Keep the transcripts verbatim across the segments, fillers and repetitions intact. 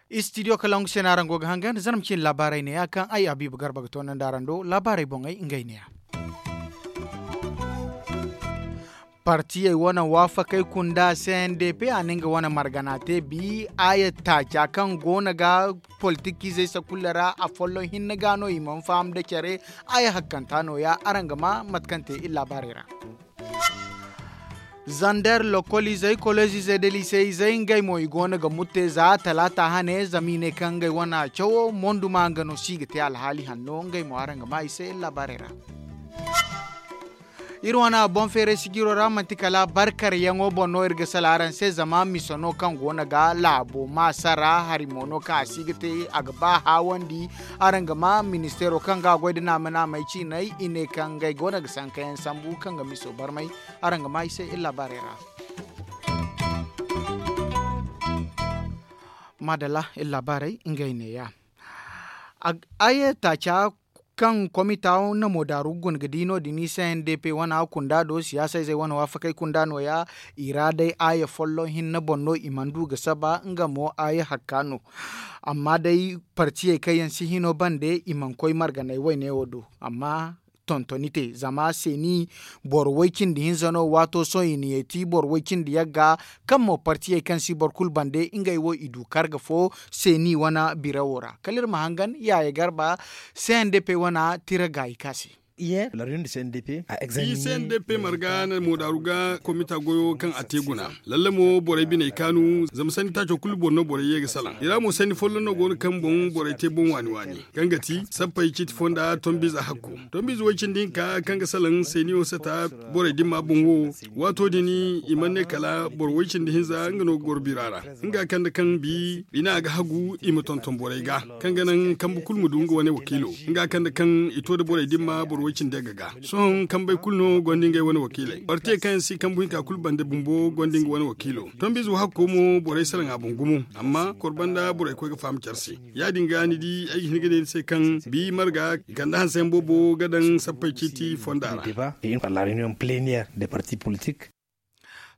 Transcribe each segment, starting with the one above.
Istidiyo kalangu se no araŋ go ga hangan zarma cine laabaarey ne ya kaŋ ay habiibu garba ga toonandi araŋ do laabaarey boŋey ngey ne ya. Partiyey wane waafakey kunda se n d p a na nga wane margana te bi aya taaca kaŋ go no ga politikizey sakulla ra afolloŋ hinne ga no i mana faham nda care. Aya hakkanta no- ya araŋ ga ma mate kaŋ te iri laabaarey ra. Zander lokol izey kolleez izey nda lise izey ngey mo i go no ga murte za talaata hane zama i ne kaŋ ngey wane cawo monduma nga no si ga te alhaali hanno ngey mo araŋ ga ma i se iri laabaarey ra. Iri wane boŋ feeray sijiro ra manti kala barkaryaŋo boŋ no iri ga sala araŋ se zama misa no kaŋ go no ga laabo maasa ra hari mo no kaŋ a si ga te a ga ba haawandi. Araŋ ga ma ministeero kaŋ ga a goy nda naama naamey ciiney i ne kaŋ ngey go no ga sankayaŋ sambu kaŋ ga miso barmay. Araŋ ga ma i se iri laabaarey ra. Maadalla iri laabaarey ngey ne- ya. Ay taaca kaŋ komita na moodaaru guna ga di no- din i se n d p wana kunda do siyaasa izey wane waafakey kunda no- ya. I ra day aaya folloŋ hinne boŋ no i mana du ga saba nga mo aaya hakka no. Amma day partiyey kaŋ yaŋ si hino bande i mana koy marganay wayne wo do. Amma tontoni te zama seeni boro way- cindi hinza no waato sohõ i na yeeti boro way- cindi yagga kaŋ mo partiyey kaŋ si boro kulu bande ngey wo i du karga fo seeni wane birawo ra kala iri ma hangan yaaye garba. C n d p wane tira gaayi ka se. Iyye. Lariyon da c n d p a examine c n d p marga na moodaaru ga komita goyo kaŋ a te guna. Lalle mo borey biney kaanu zama sanni taaco kulu boŋ no borey ye ga salaŋ i ra mo sanni folloŋ no go no kaŋ boŋ borey te boŋ waani waani kaŋ ga ti sappey ciiti fonda tombiize hakko. Tombiize way- cindi hinka kaŋ ga salaŋ seeniyo sata borey dimma boŋ wo. Waato din i mana ne kala boro way- cindi hinza nga no ga goro bira ra nga kande kaŋ bi i ne a ga hagu i ma tonton borey ga kaŋ ga naŋ kambe kulu ma du nga wane wakiilo. Nga kande kaŋ i to nda borey dimma boro way- cindi yagga ga sohõ kambey kulu no gonda ngey wane wakiiley partiyey kaŋ yaŋ si kambu hinka kulu bande bumbo gonda nga wane wakiilo. Tombiize wo hakko mo borey salaŋ a boŋ gumo amma kor banda borey koy ga faham care se. Ya- din ga ni di ay ga hin ga ne ni se kaŋ bi marga i kande hanse yaŋ boobo ga daŋ sappey ciiti fonda ra.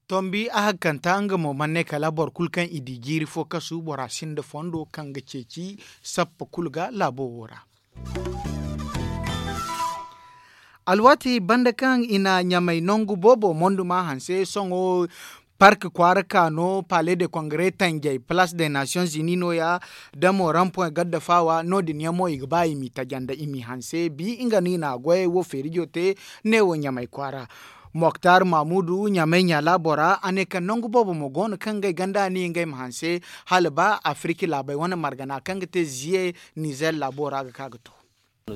Tombi a hakkanta nga mo mana ne kala boro kulu kaŋ i di jiiri fo kasu bora sinda fondo kaŋ ga ceeci sappa kulu ga laabo wo ra. Alwaati banda kaŋ i na ɲamay nangu boobo monduma hanse sohõ park kwaara ka no palais de congrès tanjay place de nations unis no- ya damo rampoint gadda faawa no- din yaŋ mo i ga ba i m'i taja nda i m'i hanse bi nga no i na a goyey wo feerijo te. Neewo ɲamay kwaara moktar mamudu ɲamay ɲa laabo ra a ne kaŋ nangu boobo mo go no kaŋ ngey ganda a ni ngey ma hanse hala ba afirki laabey wane margana kaŋ ga te ziye nizer laabo ra ga ka ga to. Iri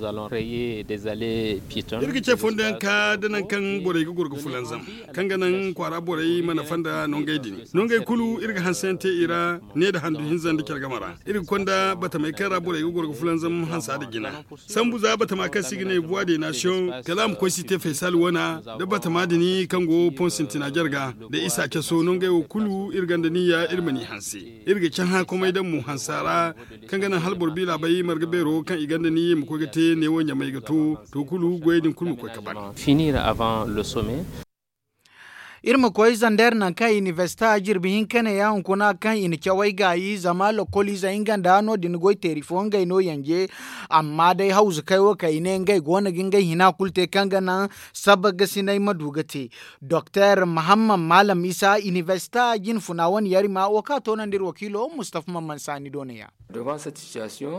ga ce fondo yaŋ ka da nangu kaŋ borey ga goro ga fulanzam kaŋ ga naŋ kwaara borey mana fanda nongey din. Nongey kulu iri ga hanse yaŋ te i ra ne nda handu hinza nda care game ra. Iri ga konda batamey kaŋ ra borey ga goro ga fulanzam hansa nda jina sambu za batama kaŋ se i ga ne buwa de nasiyoŋ kala a ma koy si te faysal wana nda batama din kaŋ go pon sintina jarga nda isa caso nongey wo kulu iri gonda niyya iri ma n'i hanse. Iri ga cahã komey daŋ mo hansa ra kaŋ ga naŋ hala boro biila bay marga beero kaŋ i gonda niyya i ma koy ga te neewo ɲamay ga to. To kulu goyey din kulu ma koy ga ban. Iri ma koy zander nangu kaŋ inibersite a jirbi hinka ne ya hunkuna kaŋ i na cawey gaayi zama lokoliizey nga nda no- din goy teeri fo ngey no yanje. Amma day hawzukey wo kaŋ i ne ngey go no ga ngey hina kulu te kaŋ ga naŋ sabba gasiney ma du ga te. Doktor mahammad maalam isa inibersite jinfuna wane yarima wo kaŋ a toonandi iri wakiilo mustafa mamman saani do ne ya.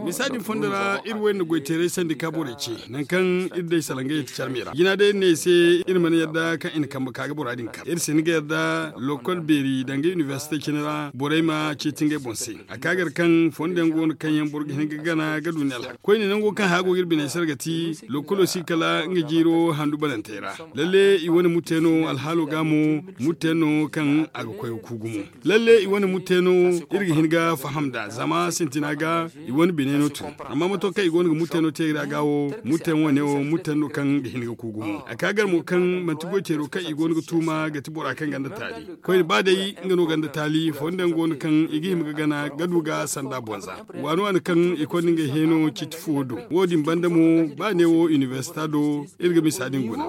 Misa din fondo ra iri wo iri na goy teeray sandi ka borey ce nangu kaŋ iri day salaŋ ga yeti care me ra jina day iri ne i se iri mana yadda kaŋ i na kambe ka ga bora din kar iri si hin ga yadda lokol beeri danga inibersite cine ra borey ma ceeti ngey boŋ se. A ka gar kaŋ fondo yaŋ go no kaŋ yaŋ boro ga hin ga gana ga du ne alhaka koyne nango kaŋ haya go ga iri biney se ra ga ti lokolo si kala nga jiiro handu banantey ra. Lalle i wane murte no alhaalo ga mo murte yaŋ no kaŋ a ga koy ga ku gumo. Lalle i wane murte no iri ga hin ga faham nd'a zama sintina ga i wane bine no tun. Amma mato kaŋ i go no ga murte no te iri a ga wo murte yaŋ wane wo murte yaŋ no kaŋ ga hin ga ku gumo a ka gar mo kaŋ manti goy teero kaŋ i go no ga tuuma ga Ti bora kaŋ ganda taali koyne ba day nga no ganda taali fondo yaŋ go no kaŋ i ga hima ga gana ga du ga sanda bonza. Waani waani kaŋ i konda ngey heeno ciiti fuwo do. Wo- din banda mo ba neewo inibersita do iri ga misa din guna.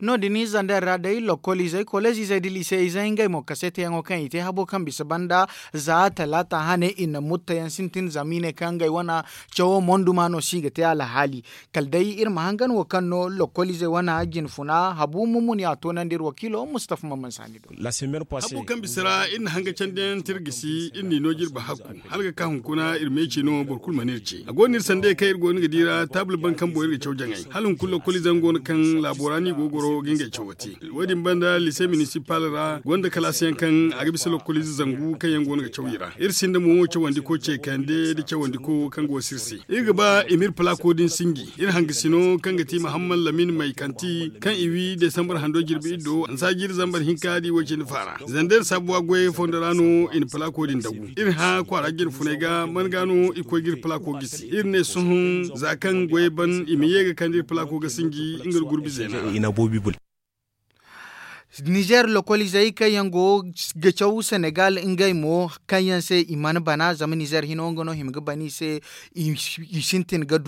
No- din zander ra day lokol izey koleez izey da lise izey ngey mo kaseete yaŋo kaŋ i te habo kaŋ bisa banda za talaata hane i na mutta yaŋ sintin zama i ne kaŋ ngey wane cawo monduma no se i ga te alhaali. Kala day iri ma hangan wo kaŋ no lokol izey wane jinfuna habu mumuni a toonandi iri wakiilo mustafa mamman saani do. Habo kaŋ bisa ra iri na hanga candi yaŋ te iri gisi iri n'i no jirbi hakku hala ga ka hunkuna iri meeci no boro kulu mana iri ce a go no iri sanda kaŋ iri go no ga di ra taabul bankambo iri ga caw jaŋay hala hunkuna lokol ize yaŋ go no kaŋ laabo ra no i go ga goro ga ngey cawo te. Wo- din banda lise minisipal ra gonda kalaasi yaŋ kaŋ a ga bisa lokol ize zangu kaŋ yaŋ go no ga caw i ra iri sinda mo cawandiko ce kande nda cawandiko kaŋ go ga sirse. Iri ga ba i ma iri palaako din sinji iri hangasino kaŋ ga ti mahammad lamin may kanti kaŋ i wi desambar hando jirbi iddo nsa jiiri zambar hinka da i wo cindi faara zanda iri saabuwa goyey fondo ra no i na palaako din dagu. Iri hã kwaara jirfuney ga man ga no i koy ga iri palaako gisi iri ne sohõ za kaŋ goyey ban i ma ye ga kande iri palaako ga sinji nga nda gurbi zeena ra. Nizer lokol izey kaŋ yaŋ go ga caw senegal ngey mo kaŋ yaŋ se i mana bana zama nizer hino nga no hima ga bana i se. I sintin ga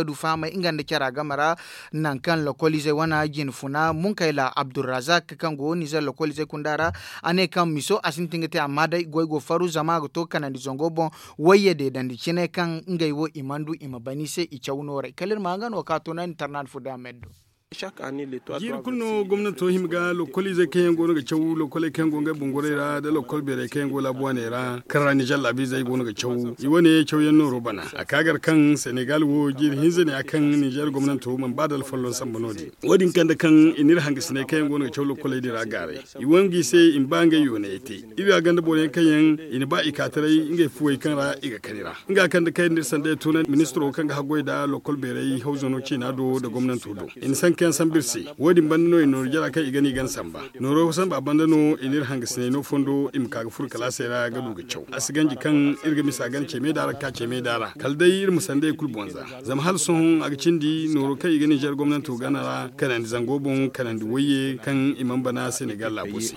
du fahamay nga nda cara game ra nangu kaŋ lokol izey wane jinfuna munkayla abdulrazak kaŋ go nizer lokol izey kunda ra a ne kaŋ miso a sintin ga te amma day goy go faru zama a ga to kanandi zango boŋ. Wayye deedandi cine kaŋ ngey wo i mana du i ma bana i se i caw nooray kala iri ma nga no ka to no ni tarnandi fo day a ma iri do. Jiiri kulu no gomnanto hima ga lokol izey kaŋ yaŋ go no ga caw lokoley kaŋ yaŋ go ngey bungurey ra nda lokol beerey kaŋ yaŋ go laabu waaney ra kaŋ ra nizer laabiizey go no ga caw i wane cawyaŋ nooro bana a ka gar kaŋ senegal wo jiiri hinza ne ya kaŋ nizer gomnanto mana ba da alfolloŋ samba no- din. Wo- din kande kaŋ i na iri hangasiney kaŋ yaŋ go no ga caw lokoley din ra gaaray i wangu i se i ma ba ngey yoonayey te. Iri ga ganda boro yaŋ kaŋ yaŋ i na ba i ka taray ngey fuwey kaŋ ra i ga kani ra nga kaŋ da kayandi iri sanda ya tuunandi ministiro kaŋ ga haggoy nda lokol beeray hawzano ciina do nda gomnanto do i na sanka yaŋ sambu iri se. Wo- din banda no i na nooru jara kaŋ i gana i gana samba nooro samba banda no i na iri hangasiney no fondo i ma ka ga furo kalaasey ra ga du ga caw a si ganji kaŋ iri ga misa gana ce meeda ra ga ka ce meeda ra kala day iri ma sanda ya kulu boŋ za. Zama hala sohõ a ga cindi nooro kaŋ i ga ninzeer gomnanto gana ra kanandi zango boŋ kanandi wayye kaŋ i mana bana senegal laabo se.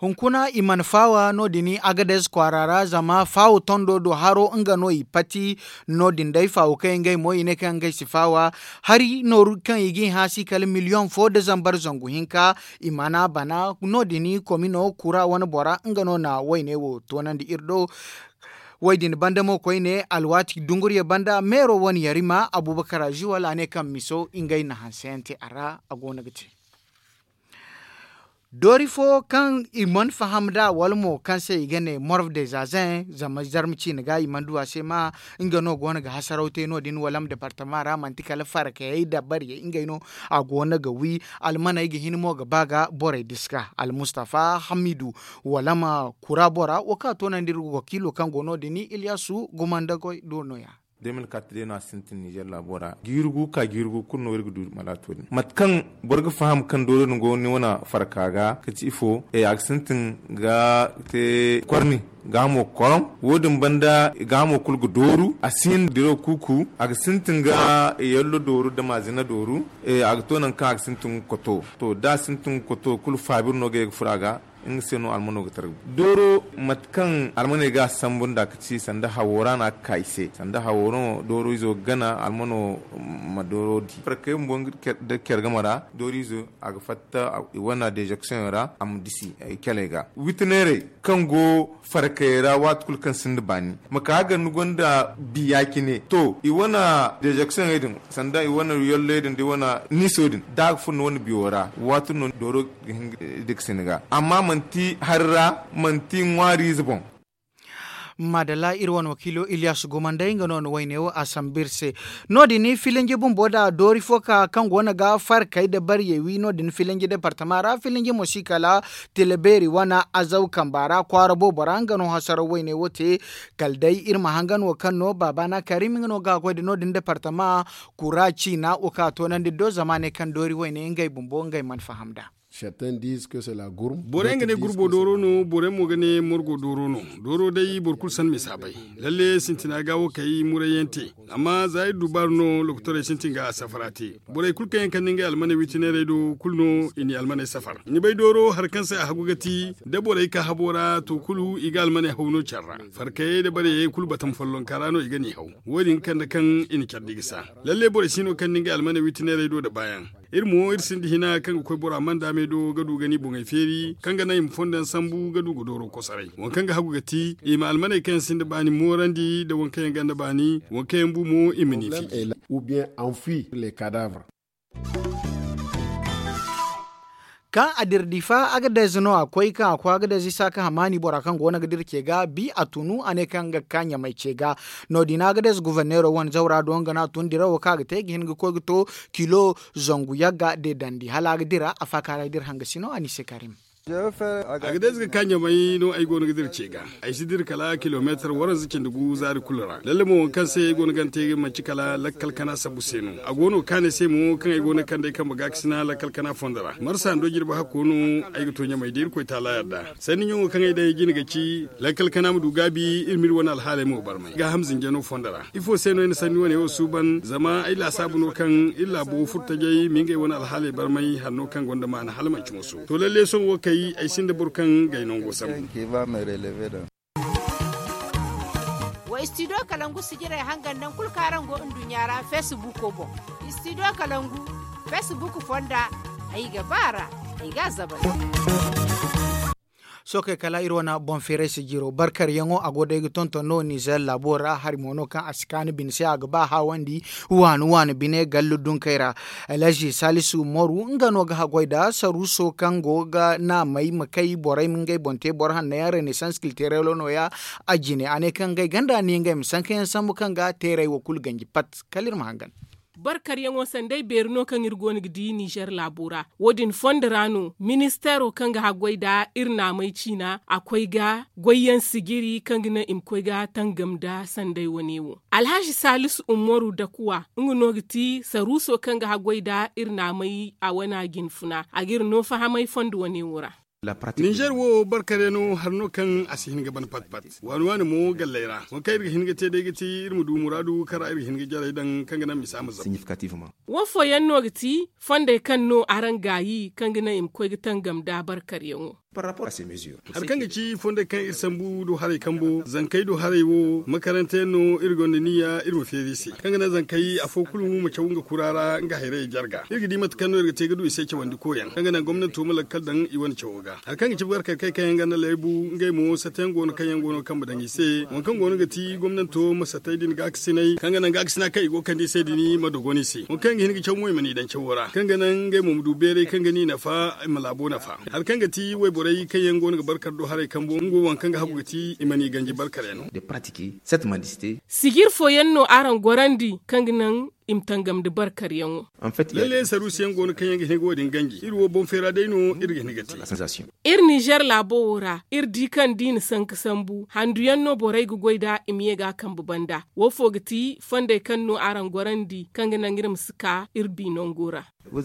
Hunkuna i mana faawa no- din agades kwaara ra zama faawo tondo do haro nga no i pati. No- din day faawo kaŋ ngey mo i ne kaŋ ngey si faawa hari nooru kaŋ i ga i hã si kala miliyoŋ fo nda zambar zangu hinka. I mana bana no- din komino kura wane bora nga no na wayne wo toonandi iri do. Wo- din banda mo koyne alwaati dunguriya banda meero wane yarima abubakar aziwal a ne kaŋ miso ngey na hanse yaŋ te a ra a go no ga te. Doori fo kaŋ i mana faham nd'a wala mo kaŋ se i ga ne morve de zazen zama zarma ciine ga i mana du a se ma nga no go no ga hasaraw te no- din walam departama ra manti kala farakayey nda bariyey ngey no. A go no ga wi almaney ga hin mo ga ba ga borey diska almustafa hamidu walam kura bora wo kaŋ a toonandi iri wakiilo kaŋ go no- din ilyasu gumandagoy do no- ya. De mil kat day no a sintin nizer laabo ra jiiri gu ka jiiri gu kulu no iri ga du malaato din mate kaŋ boro ga faham kaŋ doori din go ni wane farka ga ka ci ifo a ga sintin ga te korni ga hamo ga koroŋ. Wo- din banda ga hamo kulu ga dooru a si hin diro kuuku a ga sintin ga yallo dooru da maazina dooru. A ga to nangu kaŋ a ga sintin ga koto to da a sintin ga koto kulu faabir no ga ye ga furo a ga. Nga se no almano ga tarbi dooro mate kaŋ almaney ga a sambu nd'a ka ci sanda hawo ra no a ga ka i se sanda hawo no dooro izo ga gana almano ma dooro di farkey bumbo nda care game ra dooro izo a ga fatta i wane dezeksiyoŋ ra a ma disi i caley ga witi neerey kaŋ go farkayey ra waati kulu kaŋ sinda baani ma ka ga ni gonda biya cine to i wane dezeksiyoŋey din sanda i wane yalley din da i wane niiso din da a ga furo ni wane biyo ra waati no dooro ga hin ga diksin ga amma manti hari ra manti ŋwaariize boŋ. Maadalla iri wane wakiilo iliyas gomandey nga no na wayne wo a sambu iri se. No- din filinji bumbo da doori fo ka kaŋ go no ga farkey nda bariyey wi no- din filinji departama ra filinji mo si kala tila beeri wane azaw kamba ra kwaara boobo ra nga no hasaraw wayne wo te. Kala day iri ma hangan wo kaŋ no baabana karim nga no ga a goy nda no- din departama kura ciina wo kaŋ a toonandi do zama a ne kaŋ doori wayne ngey bumbo ngey mana faham nd'a. Borey nga ne gurbo dooro no, borey mo ga ne morgo dooro no. Dooro day boro kulu san misa bay. Lalle sintina ga wo kay muray yaŋ te. Amma za iri du baaru no lokotorey sintin ga a safara te. Borey kulu kaŋ yaŋ kande ngey almaney witineerey do kulu no i n'i almaney safar. Ni bay dooro hari kaŋ se a hagu ga ti, da borey ka habo ra to kulu i ga almaney haw no care ra. Farkayey da bareyey kulu batam follonka ra no i ga n'i haw. Wo- din ga kande kaŋ i na care di ga sa. Lalle borey si no kaŋ ni ngey almaney witineerey do nda baayaŋ. Iri mo iri sinda hina kaŋ ga koy bora manda me do ga du ga ni boŋey feeri kaŋ ga naŋ i ma fondo yaŋ sambu ga du ga dooro kosoray. Waŋ kaŋ ga hagu ga ti i ma almaney kaŋ yaŋ sinda baani moorandi nda waŋ kaŋ yaŋ ganda baani, waŋ kaŋ yaŋ bu mo i ma ni fiji. Kaŋ a dira difa agadez no a koy kaŋ a koy agadez isa ka hamaani bora kaŋ go no ga dira ce ga bi a tunu a ne kaŋ ga ka ɲamay ce ga. No- din agadez guverneero wane zawra do nga no a tun dirawo kaŋ a ga te ga hin ga koy ga to kilo zangu yagga de dandi hala a ga dira a faakaaray dira hangasino a ni se karim. Agadez ga ka ɲamay no ay go no ga dira ce ga. Ay si dira kala kilomeetar waranza cindi gu zaari kulu ra lalle mo waŋ kaŋ se ay go no ga ni te manci kala lakkal kana sabu se no. A go no ga kaanay se mo kaŋ ay go no ga kande ay kambe ga ga sina lakkal kana fondo ra marsa hando jirbi hakko no. Ay ga to ɲamay da irkoy taala yadda sanni ɲaŋo kaŋ ay daŋ ay jine ga ci lakkal kana ma du gaabi iri ma iri wane alhaaley mo barmay gaaham zinjano fondo ra. Ifo se no ay na sanni wane wo suuban zama ay laasaabu no kaŋ iri laabo furtajey ma ngey wane alhaaley barmay hanno kaŋ gonda maana hala manci moso to lalle sohõ wo kay ay sinda boro kaŋ gay nango sambu. Wa istidiyo kalangu sijirey hangan naŋ kulu kaŋ araŋ go nduɲɲa ra feesibuko boŋ. Istidiyo kalangu feesibuku fonda ay ga ba a ra. Ay ga a zabay. Sookey kala iri wane boŋ feeray sijiro barkaryaŋo a go day ga tonton no nizer laabo ra hari mo no kaŋ a si kaanu bine se a ga ba haawandi waani waani bine gallu dunkey ra. Alhaji salisu moru nga no ga haggoy nda saruuso kaŋ go ga naamey ma kay borey ma ngey boŋ te boro hanno yaŋ renaissance kilterelo no- ya. A jine a ne kaŋ ngey ganda ni ngey ma sanka yaŋ sambu kaŋ ga teerey wo kulu ganji pat kala iri ma hangan. Barkaryaŋo sanday beeri no kaŋ iri go no ga di nizer laabo ra. Wo- din fondo ra no ministeero kaŋ ga haggoy nda iri naamey ciina a koy ga goyyaŋ sijiri kaŋ ga naŋ i ma koy ga tangam nda sanday wane wo. Alhazi salisu ummaru dakuwa nga no ga ti saruuso kaŋ ga haggoy nda iri naamey a wana jinfuna a ga iri no fahamay fondo wane wo ra. Ninzeer wo barkare no hari no kaŋ a si hin ga ban pat pat waani waani mo galley ra waŋ kaŋ iri ga hin ga te day ga ti iri ma du muraadu kaŋ ra iri ga hin ga jarey daŋ kaŋ ga naŋ misa ma zama. Wo fooyaŋ no ga ti fondey kaŋ no araŋ gaayi kaŋ ga naŋ i ma koy ga tangam nda barkaryaŋo. Hari kaŋ ga ci fondey kaŋ iri sambu do haray kambo zankey do haray wo makaranta yaŋ no iri gonda niyya iri ma feeri i se kaŋ ga naŋ zankey afo kulu ma caw nga kura ra nga hayray jarga iri ga di mate kaŋ no iri ga te ga du i se cawandi koyaŋ kaŋ ga naŋ gomnanto ma lakkal daŋ i wane cawo ga. Hari kaŋ ga ci barkar kay kaŋ yaŋ ganda laybu ngey mo sata yaŋ go no kaŋ yaŋ go no kaŋ ma daŋ i se waŋ kaŋ go no ga ti gomnanto ma satay din gaakasinay kaŋ ga naŋ gaakasina kaŋ i go kande i se din ma dogon i se waŋ kaŋ yaŋ ga hin ga caw mo i ma n'i daŋ cawo ra kaŋ ga naŋ ngey mo ma du beeray kaŋ ga n'i nafa i ma laabo nafa. Hari kaŋ ga ti wayborey kaŋ yaŋ go no ga barkar do haray kambo nga wo waŋ kaŋ ga hagu ga ti i ma n'i ganji barkar yaŋ no. Sijir fooyaŋ no araŋ gorandi kaŋ ga naŋ i ma tangam nda barkaryaŋo. Lalle saruusiyaŋ go no kaŋ yaŋ ga hin ga wo- din ganji iri wo boŋ feera day no iri ga hin ga te. Iri ninzeer laabo wo ra iri di kaŋ da i na sanka sambu handuyaŋ no borey ga goy nd'a i ma ye ga a kambe banda. Wo fo ga ti fondey kaŋ no araŋ gorandi kaŋ ga naŋ iri ma si ka iri bi nango ra. Wo-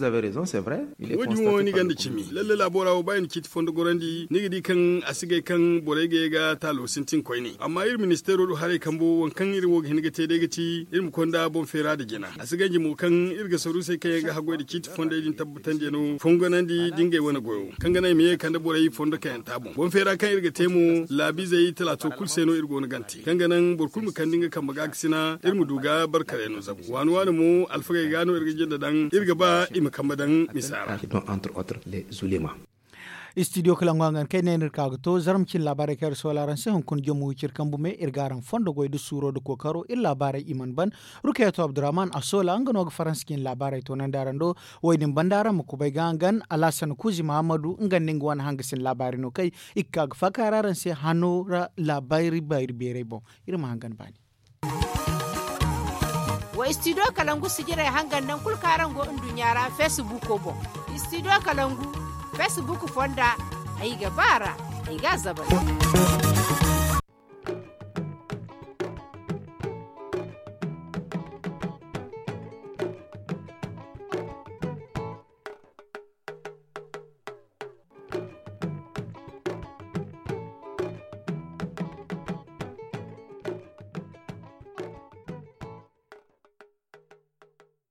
din wo ni gonda cimi lalle laabo ra wo ba i na ciiti fondo gorandi ni ga di kaŋ a si gay kaŋ borey ga ye ga taalo sintin koyne amma iri ministeero do haray kambo waŋ kaŋ iri wo ga hin ga te day ga ti iri ma konda boŋ feera nda jina a si ganji mo kaŋ iri ga saruusey kaŋ yaŋ ga haggoy nda ciiti fondey din tabbatandi yaŋ no fongonandi nda ngey wane goyo kaŋ ga naŋ i ma ye ga kande borey fondo kayanta boŋ boŋ feera kaŋ iri ga te mo laabiizey talaato kulu se no iri go no gante kaŋ ga naŋ boro kulu ma kande nga kambe gaakasina iri ma du ga barkarey no zabu waani waani mo alfagey ga no iri ga jinda daŋ iri ga ba i ma kambe daŋ misa ra. Istidiyo kala ŋwa ngan kay ne no iri ka ga to zarma cine laabaarey kaŋ iri soola araŋ se hunkuna jomo wiciri kambu me iri ga araŋ fondo goy nda suuro nda kookaro iri laabaarey i mana ban. Rukayato abdurrahman a soola nga no ga faransa cine laabaarey toonandi araŋ do. Wo- din banda araŋ ma kubay ga hangan alhasan kuuzi mahammadu nga nda nga wane hangasin laabaarey no kay i ga ka ga faakaara araŋ se hano ra laabaari bayri beeray boŋ. Iri ma hangan baani. Wa istidiyo kalangu sijirey hangan naŋ kulu kaŋ araŋ go nduɲɲa ra feesibuko boŋ. Istidiyo kalangu feesibuku fonda ay ga ba a ra ay ga a zabay.